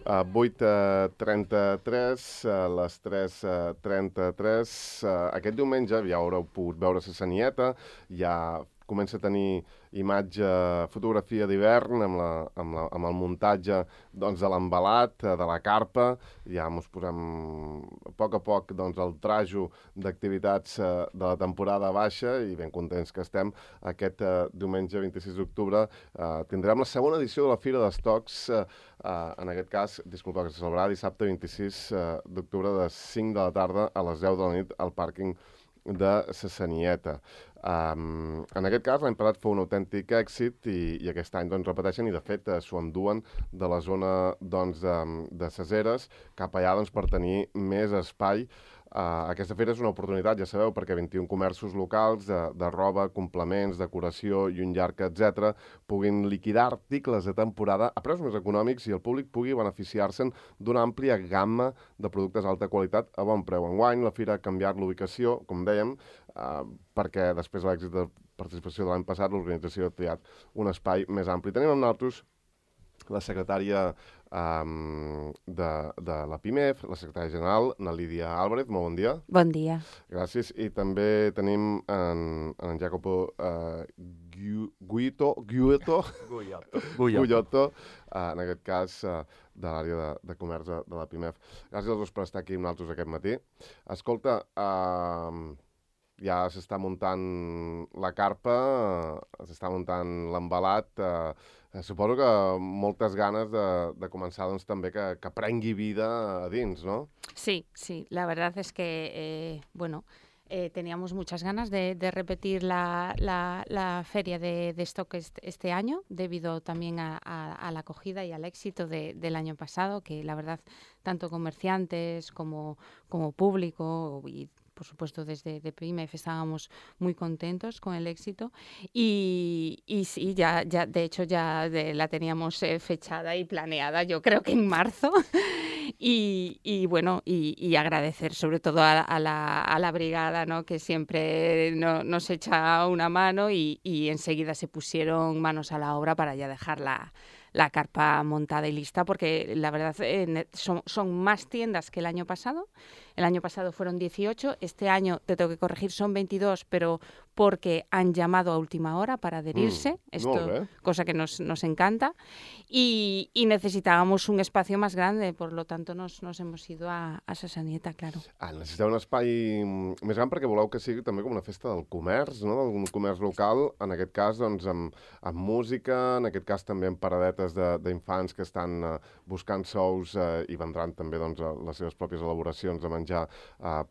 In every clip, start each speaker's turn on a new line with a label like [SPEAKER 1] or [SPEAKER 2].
[SPEAKER 1] 8:33, a les 3:33. Aquest diumenge ja haureu pogut veure la Sanieta, ja comença a tenir imatge, fotografia d'hivern amb el muntatge doncs, de l'embalat, de la carpa. Ja ens posem a poc doncs, el trajo d'activitats de la temporada baixa i ben contents que estem. Aquest diumenge 26 d'octubre tindrem la segona edició de la Fira d'Estocs, en aquest cas, disculpa, que se celebrarà dissabte 26 d'octubre de 5 de la tarda a les 10 de la nit al pàrquing de la Sanieta. En aquest cas, l'any passat fou un autèntic èxit i aquest any doncs, repeteixen i, de fet, s'ho enduen de la zona doncs, de Ses Eres cap allà doncs, per tenir més espai. Aquesta fira és una oportunitat, ja sabeu, perquè 21 comerços locals de roba, complements, decoració i un llarg, etc., puguin liquidar articles de temporada a preus més econòmics i el públic pugui beneficiar-se'n d'una àmplia gamma de productes d'alta qualitat a bon preu. Enguany, la fira ha canviat l'ubicació, com dèiem, perquè després de l'èxit de participació de l'any passat, l'organització ha triat un espai més ampli. Tenim amb nosaltres la secretària de la PIMEF, la secretària general, na Lídia Álvarez. Molt bon dia.
[SPEAKER 2] Bon dia.
[SPEAKER 1] Gràcies. I també tenim en Jacopo Guiotto, en aquest cas de l'àrea de comerç de la PIMEF. Gràcies als dos per estar aquí amb nosaltres aquest matí. Escolta, ja s'està muntant la carpa, s'està muntant l'embalat. Suposo que moltes ganes de començar doncs, també que prengui vida a dins, ¿no?
[SPEAKER 2] Sí, la verdad es que, teníamos muchas ganas de repetir la feria de stock este año, debido también a la acogida y al éxito del año pasado, que la verdad, tanto comerciantes como público y por supuesto, desde PIMEF estábamos muy contentos con el éxito y sí, ya de hecho ya la teníamos fechada y planeada, yo creo que en marzo. Y bueno, y agradecer sobre todo a la brigada, ¿no? Que siempre nos echa una mano y enseguida se pusieron manos a la obra para ya dejar la carpa montada y lista, porque la verdad son más tiendas que el año pasado. El año pasado fueron 18, este año, te tengo que corregir, son 22, pero porque han llamado a última hora para adherirse, cosa que nos encanta, y necesitábamos un espacio más grande, por lo tanto nos hemos ido a Sa Sanieta, claro.
[SPEAKER 1] Necessiteu un espai més gran perquè voleu que sigui també com una festa del comerç, no? D'un comerç local, en aquest cas doncs, amb música, en aquest cas també amb paradetes d'infants que estan buscant sous i vendran també doncs, les seves pròpies elaboracions de menjar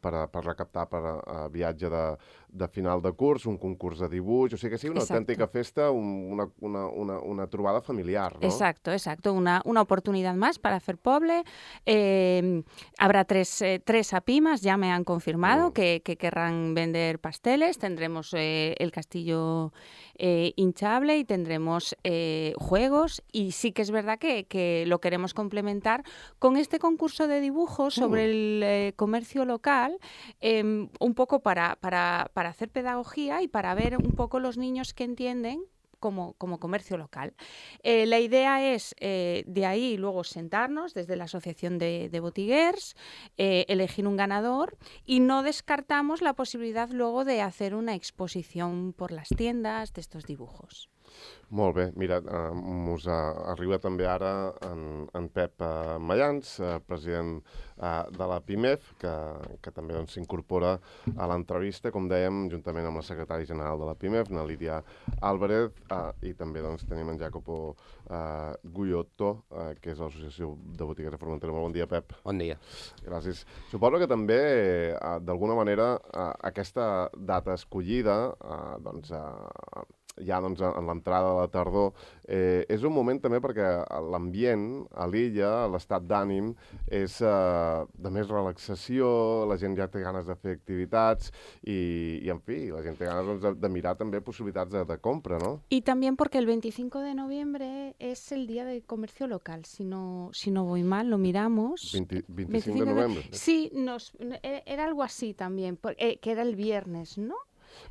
[SPEAKER 1] per recaptar per viatge de final de curs, un concurs de dibuix, o sigui que sigui una autèntica festa, una trobada familiar, ¿no?
[SPEAKER 2] Exacto, una oportunidad más para hacer poble. Habrá tres apimas, ya me han confirmado que querrán vender pasteles, tendremos el castillo hinchable y tendremos juegos, y sí que es verdad que lo queremos complementar con este concurso de dibujos sobre el comercio local, un poco para hacer pedagogía y para ver un poco los niños que entienden como comercio local. La idea es de ahí luego sentarnos desde la Asociación de Botiguers, elegir un ganador, y no descartamos la posibilidad luego de hacer una exposición por las tiendas de estos dibujos.
[SPEAKER 1] Molt bé, mira, us arriba també ara en Pep Mayans, president de la PIMEF, que també s'incorpora a l'entrevista, com dèiem, juntament amb la secretària general de la PIMEF, na Lídia Álvarez, i també doncs, tenim en Jacopo Guiotto, que és l'Associació de Botiguers de Formentera. Molt bon dia, Pep.
[SPEAKER 3] Bon dia.
[SPEAKER 1] Gràcies. Suposo que també, d'alguna manera, aquesta data escollida, doncs, ja doncs, en l'entrada de la tardor, és un moment també perquè l'ambient a l'illa, l'estat d'ànim, és de més relaxació, la gent ja té ganes de fer activitats i en fi, la gent té ganes doncs, de mirar també possibilitats de compra, ¿no?
[SPEAKER 2] Y también porque el 25 de noviembre es el día del comercio local, si no voy mal, lo miramos.
[SPEAKER 1] 25 de noviembre.
[SPEAKER 2] Sí, era algo así también, que era el viernes, ¿no?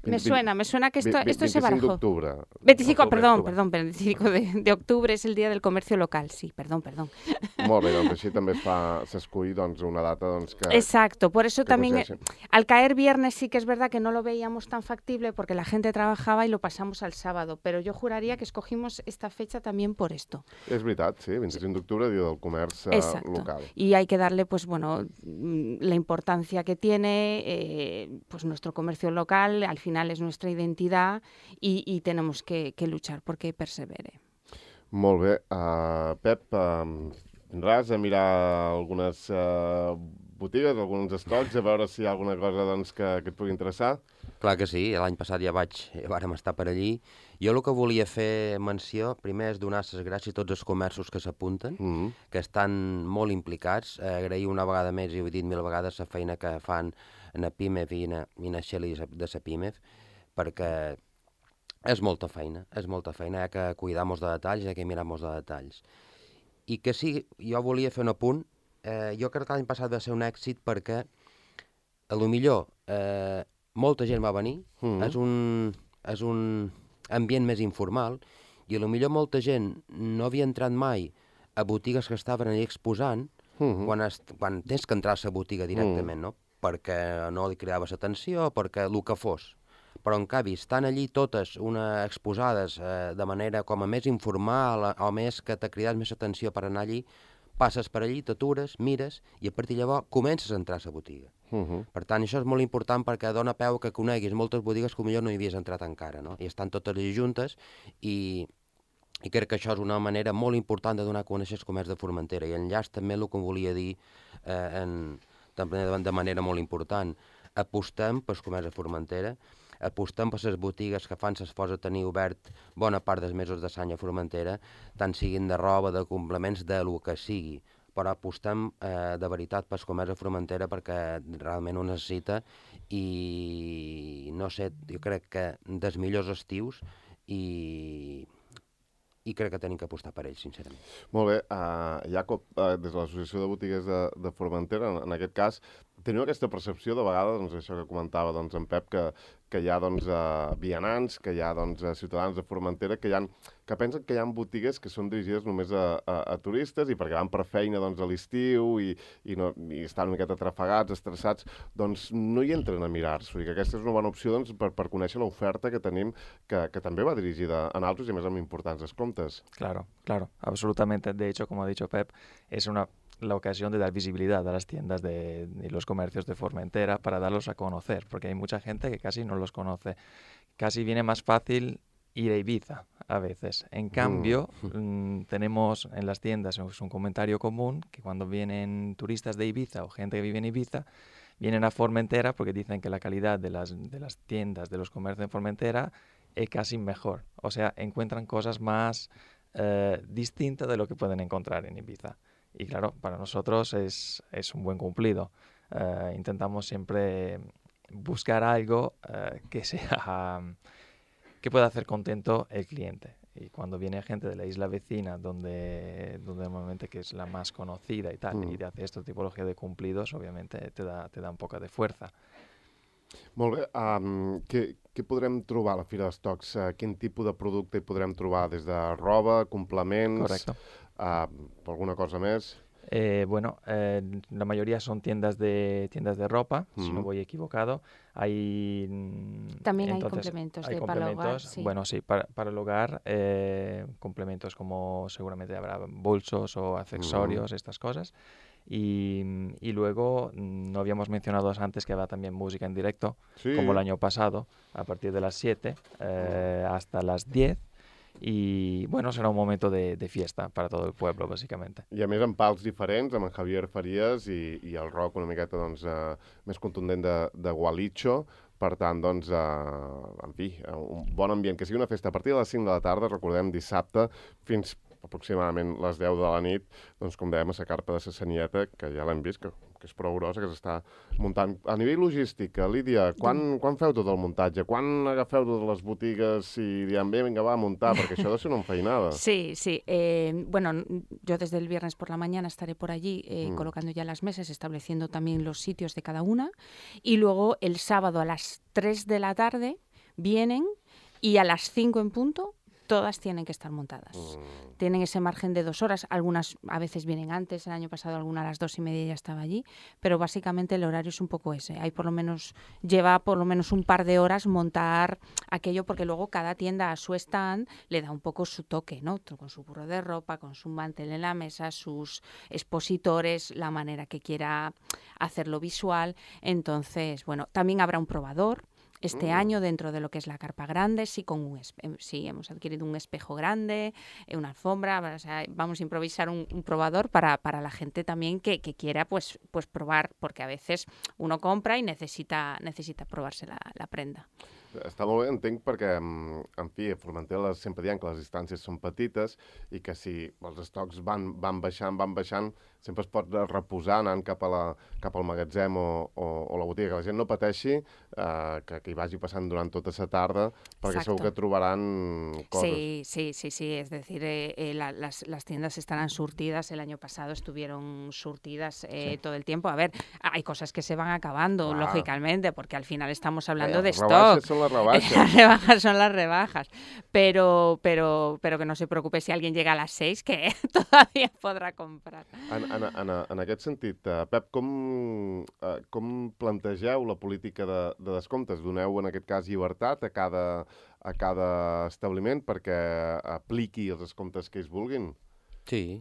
[SPEAKER 2] Me suena que esto se barajó.
[SPEAKER 1] 25 d'octubre.
[SPEAKER 2] 25, perdón, 25 de octubre es el Día del Comercio Local, sí, perdón.
[SPEAKER 1] Molt bé, doncs així també s'escull una data que...
[SPEAKER 2] Exacto, por eso también al caer viernes sí que es verdad que no lo veíamos tan factible porque la gente trabajaba y lo pasamos al sábado, pero yo juraría que escogimos esta fecha también por esto.
[SPEAKER 1] És veritat, sí, 25 d'octubre, Dia del Comerç Local.
[SPEAKER 2] Y hay que darle, pues bueno, la importancia que tiene pues nuestro comercio local, al final es nuestra identidad y tenemos que luchar porque persevere.
[SPEAKER 1] Molt bé. Pep, vindràs a mirar algunes botigues, alguns estocs, a veure si hi ha alguna cosa que et pugui interessar?
[SPEAKER 3] Clar que sí, l'any passat ja vàrem estar per allí. Jo el que volia fer menció, primer és donar les gràcies a tots els comerços que s'apunten, que estan molt implicats, agrair una vegada més, i ho he dit 1000 vegades, la feina que fan en la PIMEF i en la Xeli de la PIMEF, perquè és molta feina, hi ha que cuidar molts de detalls, hi ha que mirar molts de detalls. I que sí, jo volia fer un apunt, jo crec que l'any passat va ser un èxit perquè, a lo millor, molta gent va venir, és un ambient més informal, i a lo millor molta gent no havia entrat mai a botigues que estaven allà exposant, quan tens que entrar a la botiga directament, no? Perquè no li cridaves atenció, perquè el que fos. Però en canvi, estan allí totes exposades de manera com a més informal o més que t'ha cridat més atenció per anar allí, passes per allí, t'atures, mires i a partir de llavors comences a entrar a la botiga. Per tant, això és molt important perquè dona peu que coneguis moltes botigues que potser no hi havies entrat encara, no? I estan totes allí juntes i crec que això és una manera molt important de donar a conèixer el comerç de Formentera. I enllaç també el que volia dir de manera molt important. Apostem pel comerç de Formentera, apostem per les botigues que fan l'esforç de tenir obert bona part dels mesos de l'any a Formentera, tant siguin de roba, de complements, de lo que sigui, però apostem de veritat pel comerç de Formentera perquè realment ho necessita i no sé, jo crec que dels millors estius i crec que tenim que apostar per ells, sincerament.
[SPEAKER 1] Molt bé. Jacob, des de l'Associació de Botiguers de Formentera, en aquest cas, teniu aquesta percepció de vegades, això que comentava en Pep, que hi ha vianants, que hi ha ciutadans de Formentera que pensen que hi ha botigues que són dirigides només a turistes i perquè van per feina a l'estiu i estan una miqueta atrafegats, estressats, doncs no hi entren a mirar-s'ho i que aquesta és una bona opció per conèixer l'oferta que tenim, que també va dirigida a altres i més amb importants descomptes.
[SPEAKER 4] Claro, absolutamente. De hecho, como ha dicho Pep, es la ocasión de dar visibilidad a las tiendas de los comercios de Formentera para darlos a conocer, porque hay mucha gente que casi no los conoce. Casi viene más fácil ir a Ibiza a veces. En cambio, tenemos en las tiendas, es un comentario común, que cuando vienen turistas de Ibiza o gente que vive en Ibiza, vienen a Formentera porque dicen que la calidad de las tiendas, de los comercios en Formentera es casi mejor. O sea, encuentran cosas más distintas de lo que pueden encontrar en Ibiza. Y claro, para nosotros es un buen cumplido. Intentamos siempre buscar algo que pueda hacer contento el cliente. Y cuando viene gente de la isla vecina, donde normalmente que es la más conocida y tal, y te hace esta tipología de cumplidos, obviamente te da un poco de fuerza.
[SPEAKER 1] Molt bé. Què podrem trobar a la Fira d'Estocs? Quin tipus de producte hi podrem trobar? Des de roba, complements...
[SPEAKER 4] Correcto.
[SPEAKER 1] ¿Alguna cosa más?
[SPEAKER 4] La mayoría son tiendas de ropa, si no voy equivocado.
[SPEAKER 2] También hay complementos para el hogar. Sí.
[SPEAKER 4] Bueno, sí, para el hogar, complementos como seguramente habrá bolsos o accesorios, estas cosas. Y luego, no habíamos mencionado antes que habrá también música en directo, como el año pasado, a partir de las 7 hasta las 10. I, bueno, serà un moment de fiesta per a tot el poble, bàsicament.
[SPEAKER 1] I a més amb pals diferents, amb en Javier Farías i el rock una miqueta més contundent de Gualicho. Per tant, en fi, un bon ambient. Que sigui una festa a partir de les 5 de la tarda, recordem, dissabte, fins aproximadament les 10 de la nit, doncs com dèiem, a la carpa de la Sanieta, que ja l'hem vist, que és prou grossa, que s'està muntant. A nivell logístic, Lídia, quan feu tot el muntatge? Quan agafeu totes les botigues i diem, bé, vinga, va, a muntar? Perquè això ha de ser una enfeinada.
[SPEAKER 2] Sí, sí. Bueno, yo desde el viernes por la mañana estaré por allí colocando ya las mesas, estableciendo también los sitios de cada una. Y luego el sábado a las 3 de la tarde vienen y a las 5 en punto todas tienen que estar montadas. Tienen ese margen de 2 horas, algunas a veces vienen antes, el año pasado alguna a las 2:30 ya estaba allí, pero básicamente el horario es un poco ese. Lleva por lo menos un par de horas montar aquello, porque luego cada tienda a su stand le da un poco su toque, ¿no? Con su burro de ropa, con su mantel en la mesa, sus expositores, la manera que quiera hacerlo visual. Entonces, bueno, también habrá un probador. Este año, dentro de lo que es la carpa grande, sí hemos adquirido un espejo grande, una alfombra, o sea, vamos a improvisar un probador para la gente también que quiera pues probar, porque a veces uno compra y necesita probarse la prenda.
[SPEAKER 1] Està molt bé, entenc, perquè, en fi, a Formentera sempre diem que les distàncies són petites i que si els estocs van baixant, sempre es pot reposar anant cap al magatzem o la botiga, que la gent no pateixi, que hi vagi passant durant tota la tarda, perquè segur que trobaran coses.
[SPEAKER 2] Sí, es decir, las tiendas estarán surtidas, el año pasado estuvieron surtidas todo el tiempo. A ver, hay cosas que se van acabando, lógicamente, porque al final estamos hablando de stock.
[SPEAKER 1] Las rebajas.
[SPEAKER 2] Las rebajas son las rebajas, pero que no se preocupe si alguien llega a las 6, que todavía podrà comprar.
[SPEAKER 1] En aquest sentit, Pep, com plantegeu la política de descomptes? Doneu, en aquest cas, llibertat a cada establiment perquè apliqui els descomptes que ells vulguin?
[SPEAKER 3] Sí.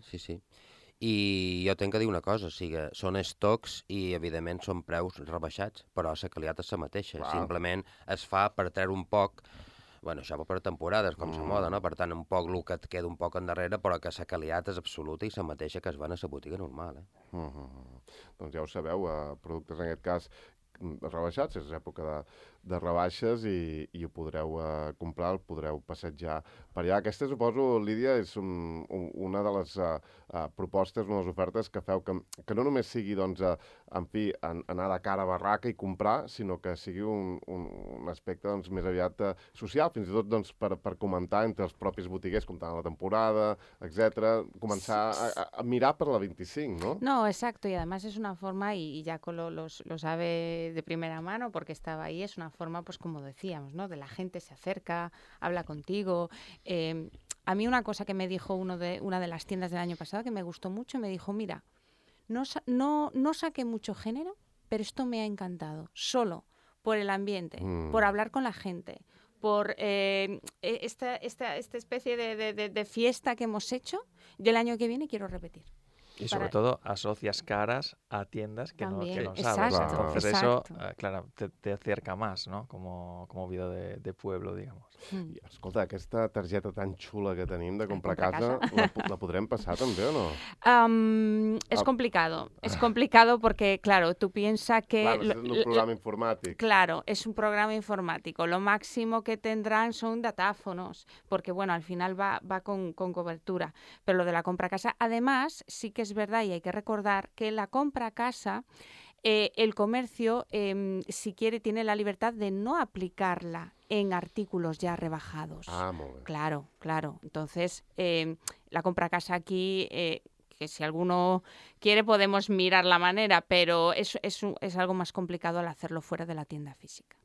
[SPEAKER 3] I jo tenc que dir una cosa, o sigui, són estocs i, evidentment, són preus rebaixats, però la qualitat és la mateixa. Clar. Simplement es fa per treure un poc, bueno, això va per temporades, com la moda, no? Per tant, un poc el que et queda un poc endarrere, però que la qualitat és absoluta i la mateixa que es va a la botiga normal.
[SPEAKER 1] Doncs ja ho sabeu, productes en aquest cas rebaixats, és època de rebaixes i ho podreu comprar, el podreu passejar per allà. Aquesta, suposo, Lídia, és una de les propostes, una de les ofertes que feu, que no només sigui, doncs, en fi, anar de cara a barraca i comprar, sinó que sigui un aspecte, doncs, més aviat social, fins i tot, doncs, per comentar entre els propis botiguers, comptant la temporada, etc. Començar a mirar per la 25, ¿no?
[SPEAKER 2] No, exacto, y además es una forma, y Jaco lo sabe de primera mano porque estaba ahí, es una forma, pues como decíamos, ¿no? De la gente se acerca, habla contigo. A mí una cosa que me dijo una de las tiendas del año pasado que me gustó mucho, me dijo, mira, no saqué mucho género, pero esto me ha encantado, solo por el ambiente, por hablar con la gente, por esta especie de fiesta que hemos hecho. Yo el año que viene quiero repetir.
[SPEAKER 4] Y sobre todo asocias caras a tiendas que no sabes.
[SPEAKER 2] Exacto,
[SPEAKER 4] Entonces
[SPEAKER 2] exacto.
[SPEAKER 4] eso, claro, te acerca más, ¿no? Como vida de pueblo, digamos.
[SPEAKER 1] I, escolta, aquesta targeta tan xula que tenim de comprar casa, la podrem passar també o no?
[SPEAKER 2] Es complicado. Es complicado porque, claro, tú piensas que...
[SPEAKER 1] Claro, es un programa informático.
[SPEAKER 2] Claro, es un programa informático. Lo máximo que tendrán son datáfonos, porque, bueno, al final va con cobertura. Pero lo de la compra casa, además, sí que es verdad y hay que recordar que la compra casa, el comercio, si quiere, tiene la libertad de no aplicarla en artículos ya rebajados.
[SPEAKER 1] Muy bien.
[SPEAKER 2] Claro. Entonces, la compra casa aquí, que si alguno quiere podemos mirar la manera, pero es algo más complicado al hacerlo fuera de la tienda física.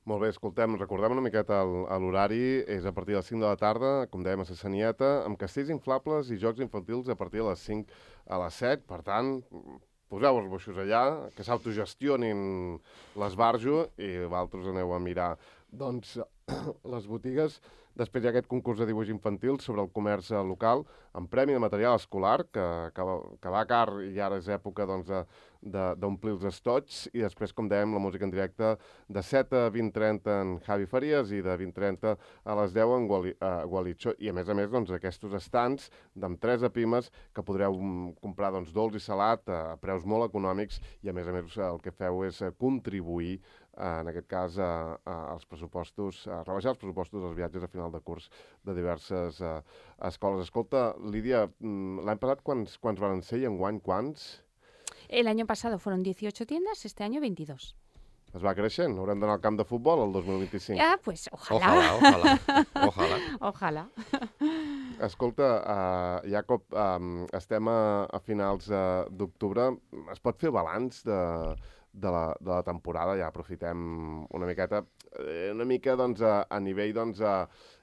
[SPEAKER 1] Molt bé, recordem una miqueta l'horari, és a partir de les 5 de la tarda, com dèiem, a la Sanieta, amb castells inflables i jocs infantils a partir de les 5 a les 7, per tant, poseu els boixos allà, que s'autogestionin l'esbarjo i vosaltres aneu a mirar, doncs, les botigues. Després hi ha aquest concurs de dibuix infantil sobre el comerç local, amb premi de material escolar, que va car i ara és època d'omplir els estots, i després, com dèiem, la música en directe de 7 a 20:30 en Javi Farías i de 20:30 a les 10 en Gualitxo. I, a més, doncs, aquests estants amb 3 pimes que podreu comprar dolç i salat a preus molt econòmics i, a més, el que feu és contribuir en aquest cas, els pressupostos, rebaixar els pressupostos dels viatges a final de curs de diverses escoles. Escolta, Lídia, l'any passat quants van ser i enguany quants?
[SPEAKER 2] El año pasado fueron 18 tiendas, este año 22.
[SPEAKER 1] Es va creixent? Haurem d'anar al camp de futbol el 2025?
[SPEAKER 2] Ah, pues ojalá. Ojalá.
[SPEAKER 1] Escolta, Jacob, estem a finals d'octubre. Es pot fer balanç de la temporada? Ja aprofitem una mica doncs, a nivell, doncs,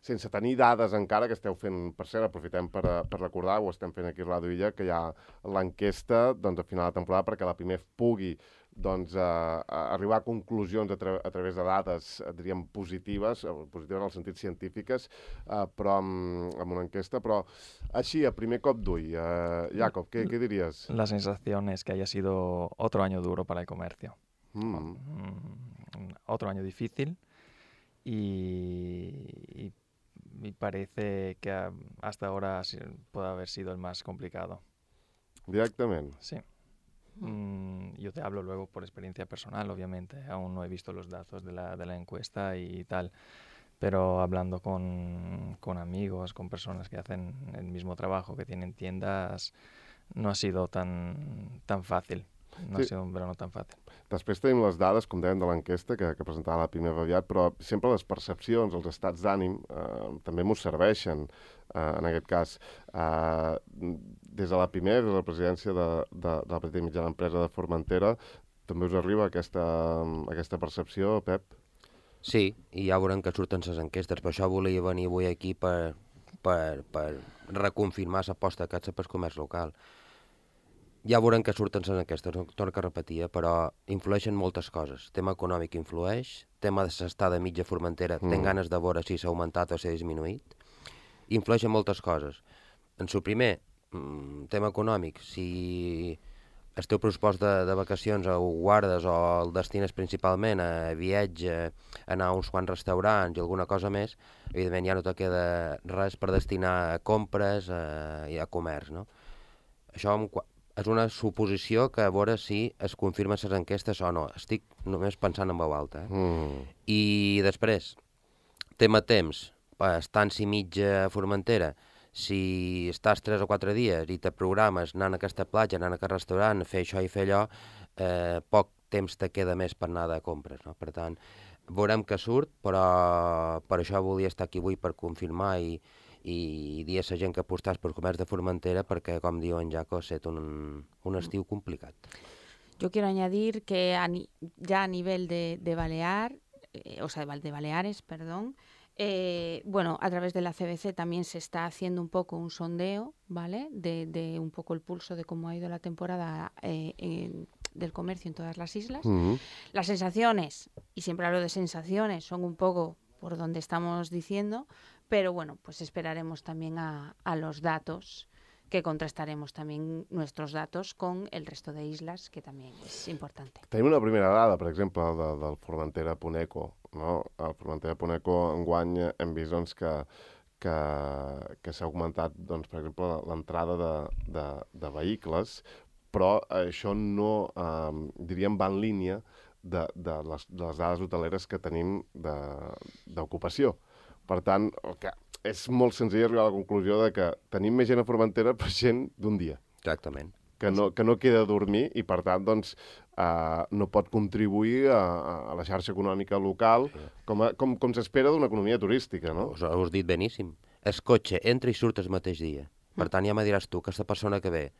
[SPEAKER 1] sense tenir dades encara, que esteu fent, per cert, aprofitem per recordar, ho estem fent aquí a Ràdio Illa, que hi ha l'enquesta doncs, a final de temporada perquè la PIMEF pugui doncs, arribar a conclusions a través de dades, diríem, positives en el sentit científiques, però amb una enquesta. Però així, a primer cop d'ull, Jacob, ¿qué dirías?
[SPEAKER 4] La sensación es que haya sido otro año duro para el comercio. Otro año difícil y parece que hasta ahora puede haber sido el más complicado.
[SPEAKER 1] Directamente.
[SPEAKER 4] Sí. Yo te hablo luego por experiencia personal, obviamente. Aún no he visto los datos de la encuesta y tal, pero hablando con amigos, con personas que hacen el mismo trabajo, que tienen tiendas, no ha sido tan fácil. No ha sido un verano tan fàcil.
[SPEAKER 1] Després tenim les dades, com dèiem, de l'enquesta que presentava la PIMEF aviat, però sempre les percepcions, els estats d'ànim, també m'ho serveixen, en aquest cas. Des de la PIMEF, de la presidència de la petita i mitjana empresa de Formentera, també us arriba aquesta percepció, Pep?
[SPEAKER 3] Sí, i ja veurem que surten les enquestes. Per això volia venir avui aquí per reconfirmar l'aposta que haig pel comerç local. Ja veurem que surten les enquestes, no torno a repetir, però influeixen moltes coses. Tema econòmic influeix, tema de l'estada mitja Formentera, tenc ganes de veure si s'ha augmentat o s'ha disminuït. Influeixen moltes coses. En el primer, tema econòmic, si el teu pressupost de vacacions ho guardes o el destines principalment a viatge, anar a uns quants restaurants i alguna cosa més, evidentment ja no te queda res per destinar a compres i a comerç, no? Això és una suposició que a veure si es confirmen les enquestes o no. Estic només pensant en veu alta. I després, tema temps, estància mitja a Formentera, si estàs 3 o 4 dies i te programes anant a aquesta platja, anant a aquest restaurant, fer això i fer allò, poc temps te queda més per anar de compres, no? Per tant, veurem que surt, però per això volia estar aquí avui per confirmar i dir a la gent que apostàs pel comerç de Formentera perquè, com diu en Jaco, ha estat un estiu complicat.
[SPEAKER 2] Yo quiero añadir que ya a nivel de Baleares, perdón, bueno, a través de la CBC también se está haciendo un poco un sondeo, ¿vale? De un poco el pulso de cómo ha ido la temporada del comercio en todas las islas. Las sensaciones, y siempre hablo de sensaciones, son un poco por donde estamos diciendo, pero bueno, pues esperaremos también a los datos, que contrastaremos también nuestros datos con el resto de islas, que también es importante.
[SPEAKER 1] Tenim una primera dada, per exemple, del Formentera.eco, no? El Formentera.eco enguany hem vist doncs, que s'ha augmentat, doncs, per exemple, l'entrada de vehicles, però això no, diríem, va en línia de les dades hoteleres que tenim d'ocupació. Per tant, és molt senzill arribar a la conclusió de que tenim més gent a Formentera per gent d'un dia.
[SPEAKER 3] Exactament.
[SPEAKER 1] Que no queda a dormir i, per tant, doncs, no pot contribuir a la xarxa econòmica local com s'espera d'una economia turística, no?
[SPEAKER 3] Us heu dit beníssim. El cotxe entra i surt el mateix dia. Per tant, ja me diràs tu que aquesta persona que ve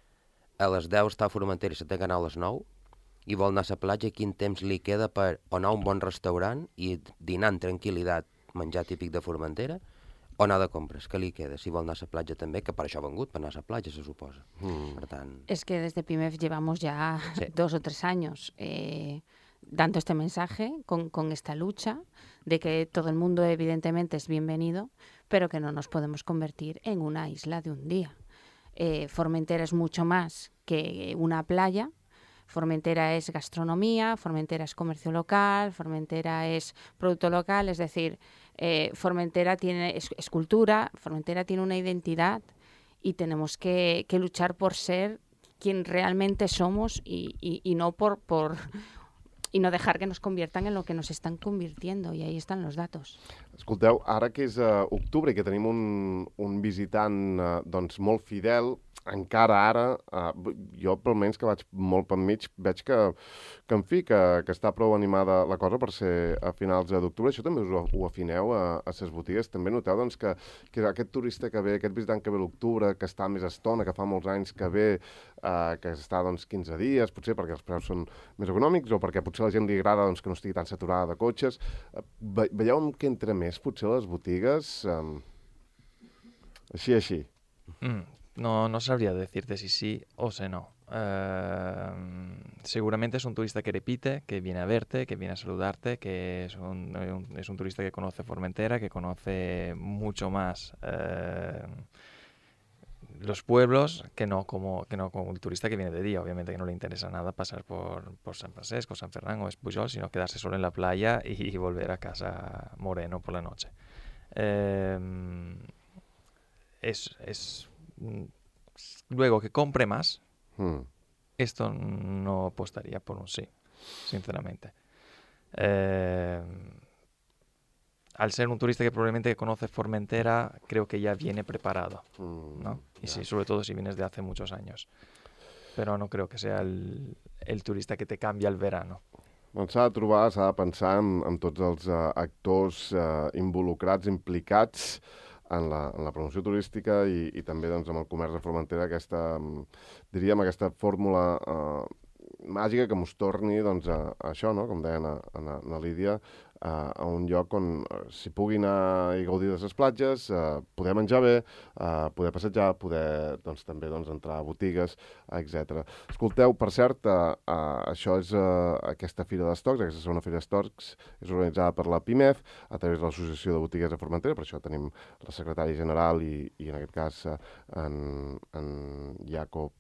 [SPEAKER 3] a les 10 està a Formentera i s'ha d'anar a les 9 i vol anar a la platja, quin temps li queda per anar a un bon restaurant i dinar en tranquil·litat, menjar típic de Formentera, o anar de compres, què li queda? Si vol anar a la platja també, que per això ha vengut, per anar a la platja, se suposa. Per tant...
[SPEAKER 2] Es que desde PIMEF llevamos ya 2 o 3 años dando este mensaje, con esta lucha, de que todo el mundo evidentemente es bienvenido, pero que no nos podemos convertir en una isla de un día. Formentera es mucho más que una playa. Formentera es gastronomía, Formentera es comercio local, Formentera es producto local, es decir, Formentera es cultura, Formentera tiene una identidad y tenemos que luchar por ser quien realmente somos y no por y no dejar que nos conviertan en lo que nos están convirtiendo, y ahí están los datos.
[SPEAKER 1] Escolteu, ara que és octubre i que tenim un visitant doncs molt fidel, encara ara, jo pel menys que vaig molt per mig, veig que en fi, que està prou animada la cosa per ser a finals d'octubre. Això també us ho afineu a les botigues? També noteu doncs, que aquest turista que ve, aquest visitant que ve a l'octubre, que està més estona, que fa molts anys que ve, que està doncs, 15 dies, potser perquè els preus són més econòmics o perquè potser a la gent li agrada doncs, que no estigui tan saturada de cotxes. Veieu que entra més potser a les botigues? Així.
[SPEAKER 4] No sabría decirte si sí o si no. Seguramente es un turista que repite, que viene a verte, que viene a saludarte, que es un turista que conoce Formentera, que conoce mucho más los pueblos que no como un turista que viene de día. Obviamente que no le interesa nada pasar por San Francisco, San Fernando o Espujol, sino quedarse solo en la playa y volver a casa moreno por la noche. Luego que compre más, esto no apostaría por un sí, sinceramente. Al ser un turista que probablemente conoce Formentera, creo que ya viene preparado, ¿no? Y sí, sobre todo si vienes de hace muchos años. Pero no creo que sea el turista que te cambia el verano.
[SPEAKER 1] Doncs s'ha de trobar, s'ha de pensar en tots els actors involucrats, implicats en la promoció turística i també doncs, amb el comerç de Formentera, aquesta fórmula màgica que mos torni doncs, a això, no? Com deia na Lídia, a un lloc on s'hi pugui anar i gaudir de les platges, poder menjar bé, poder passejar, poder doncs, també entrar a botigues, etc. Escolteu, per cert, això és aquesta Fira d'Estocs, aquesta segona Fira d'Estocs, és organitzada per la PIMEF a través de l'Associació de Botigues de Formentera, per això tenim la secretària general i en aquest cas en Jacob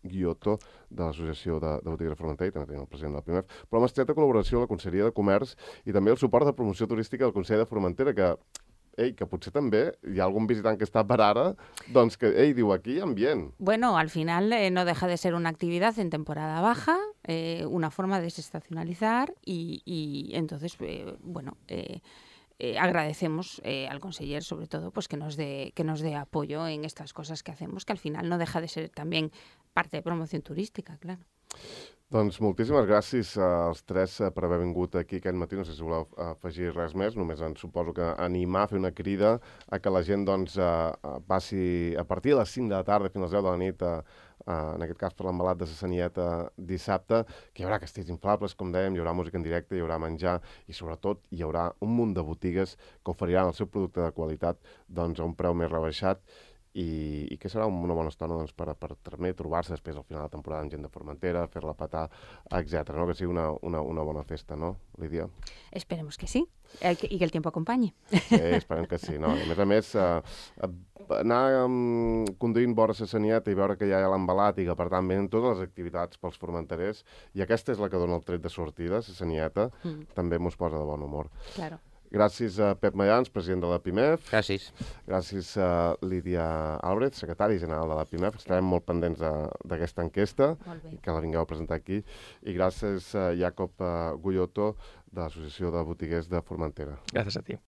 [SPEAKER 1] Guiotto de l'Associació de Botigues de Formentera, i també tenim el president de la PIMEF, però amb estreta col·laboració amb la Conselleria de Comerç i també el suport de promoció turística del Consell de Formentera, que potser també hi ha algun visitant que està per ara, doncs que, diu, aquí hi ha ambient.
[SPEAKER 2] Bueno, al final no deja de ser una actividad en temporada baja, una forma de desestacionalizar y entonces, agradecemos al conseller, sobre todo, pues que nos dé apoyo en estas cosas que hacemos, que al final no deja de ser también parte de promoción turística, claro.
[SPEAKER 1] Doncs moltíssimes gràcies als tres per haver vingut aquí aquest matí. No sé si voleu afegir res més, només suposo que animar, fer una crida a que la gent doncs, passi a partir de les 5 de la tarda fins a les 10 de la nit, en aquest cas per l'embalat de la Sanieta dissabte, que hi haurà castells inflables, com dèiem, hi haurà música en directe, hi haurà menjar i sobretot hi haurà un munt de botigues que oferiran el seu producte de qualitat doncs, a un preu més rebaixat i que serà una bona estona doncs, per també trobar-se després al final de temporada amb gent de Formentera, fer-la petar, etc. No? Que sigui una bona festa, no, Lídia?
[SPEAKER 2] Esperemos que sí, y que el tiempo acompañe.
[SPEAKER 1] Sí, esperem que sí. No? A més, anar conduint vora la Sanieta i veure que ja hi ha l'embalat i que, per tant, venen totes les activitats pels formenterers, i aquesta és la que dona el tret de sortida, la Sanieta, també mos posa de bon humor.
[SPEAKER 2] Claro.
[SPEAKER 1] Gràcies a Pep Mayans, president de la PIMEF.
[SPEAKER 3] Gràcies.
[SPEAKER 1] Gràcies a Lídia Álvarez, secretari general de la PIMEF. Estarem molt pendents d'aquesta enquesta, que la vingueu a presentar aquí. I gràcies a Jacob Guiotto, de l'Associació de Botiguers de Formentera.
[SPEAKER 4] Gràcies a ti.